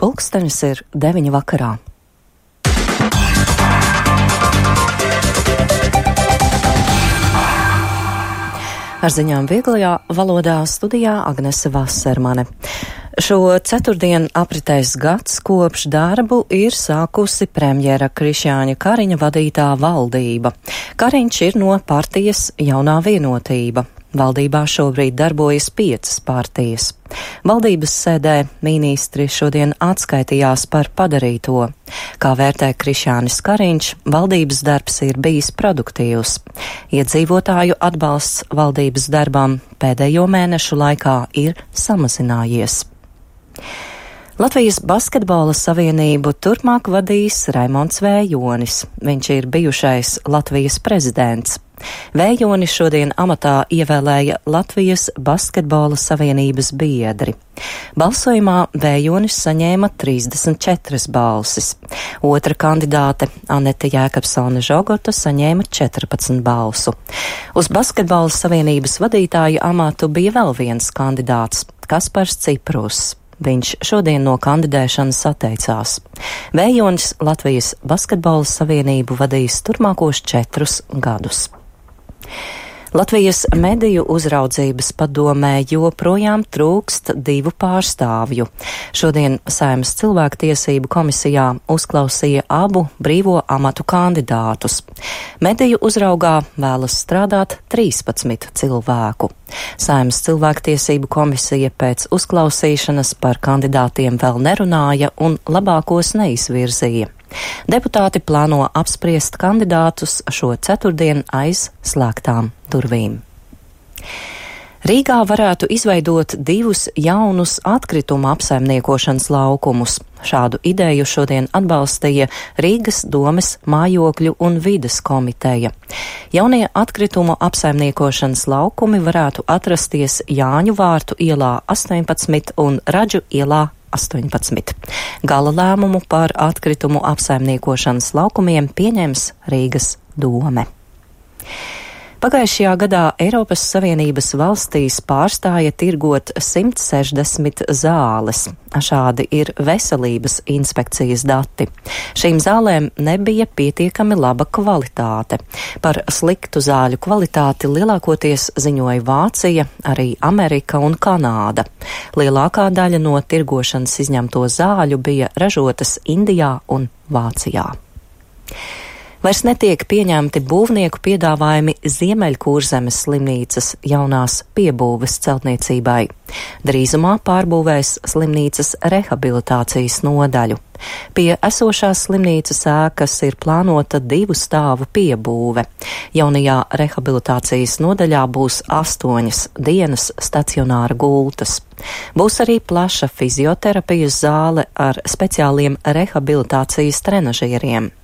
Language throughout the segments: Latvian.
Pulkstenis ir 9 vakarā. Ar ziņām vieglajā valodā studijā Agnese Vasermane. Šo ceturtdienu apritējis gads, kopš darbu ir sākusi premjera Krišjāņa Kariņa vadītā valdība. Kariņš ir no partijas Jaunā Vienotība. Valdībā šobrīd darbojas 5 partijas. Valdības sēdē ministri šodien atskaitījās par padarīto. Kā vērtē Krišjānis Kariņš, valdības darbs ir bijis produktīvs. Iedzīvotāju atbalsts valdības darbam pēdējo mēnešu laikā ir samazinājies. Latvijas basketbola savienību turpmāk vadīs Raimonds Vējonis. Viņš ir bijušais Latvijas prezidents. Vējonis šodien amatā ievēlēja Latvijas basketbola savienības biedri. Balsojumā Vējonis saņēma 34 balsis. Otra kandidāte Anete Jēkabsone Žogota saņēma 14 balsu. Uz basketbola savienības vadītāja amatu bija vēl viens kandidāts - Kaspars Ciprus. Viņš šodien no kandidēšanas atteicās. Vējonis Latvijas basketbola savienību vadīs turpmākos 4 gadus. Latvijas mediju uzraudzības padomē joprojām trūkst 2 pārstāvju. Šodien Saeimas cilvēktiesību komisijā uzklausīja abu brīvo amatu kandidātus. Mediju uzraugā vēlas strādāt 13 cilvēku. Saeimas cilvēktiesību komisija pēc uzklausīšanas par kandidātiem vēl nerunāja un labākos neizvirzīja. Deputāti plāno apspriest kandidātus šo ceturtdienu aiz slēgtām durvīm. Rīgā varētu izveidot 2 jaunus atkrituma apsaimniekošanas laukumus. Šādu ideju šodien atbalstīja Rīgas domes mājokļu un vides komiteja. Jaunie atkritumu apsaimniekošanas laukumi varētu atrasties Jāņu vārtu ielā 18 un Radžu ielā 18. Gala lēmumu par atkritumu apsaimniekošanas laukumiem pieņems Rīgas dome. Pagājušajā gadā Eiropas Savienības valstīs pārstāja tirgot 160 zāles. Šādi ir veselības inspekcijas dati. Šīm zālēm nebija pietiekami laba kvalitāte. Par sliktu zāļu kvalitāti lielākoties ziņoja Vācija, arī Amerika un Kanāda. Lielākā daļa no tirgošanas izņemto zāļu bija ražotas Indijā un Vācijā. Vairs netiek pieņemti būvnieku piedāvājumi Ziemeļkurzemes slimnīcas jaunās piebūves celtniecībai. Drīzumā pārbūvēs slimnīcas rehabilitācijas nodaļu. Pie esošās slimnīcas ēkas ir plānota 2 stāvu piebūve. Jaunajā rehabilitācijas nodaļā būs 8 dienas stacionāra gultas. Būs arī plaša fizioterapijas zāle ar speciāliem rehabilitācijas trenažieriem.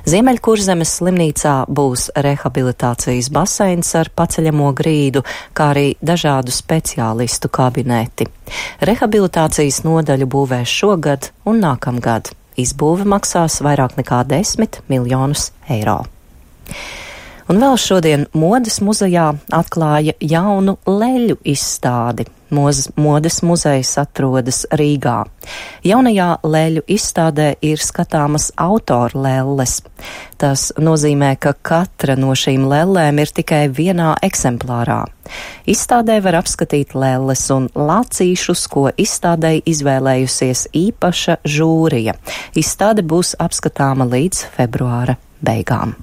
Ziemeļkurzemes slimnīcā būs rehabilitācijas baseins ar paceļamo grīdu, kā arī dažādu speciālistu kabineti. Rehabilitācijas nodaļu būvēs šogad un nākamgad. Izbūve maksās vairāk nekā 10 miljonus eiro. Un vēl šodien Modes muzejā atklāja jaunu leļu izstādi. Modes muzejs atrodas Rīgā. Jaunajā leļu izstādē ir skatāmas autora lelles. Tas nozīmē, ka katra no šīm lellēm ir tikai vienā eksemplārā. Izstādē var apskatīt lelles un lācīšus, ko izstādei izvēlējusies īpaša žūrija. Izstāde būs apskatāma līdz februāra beigām.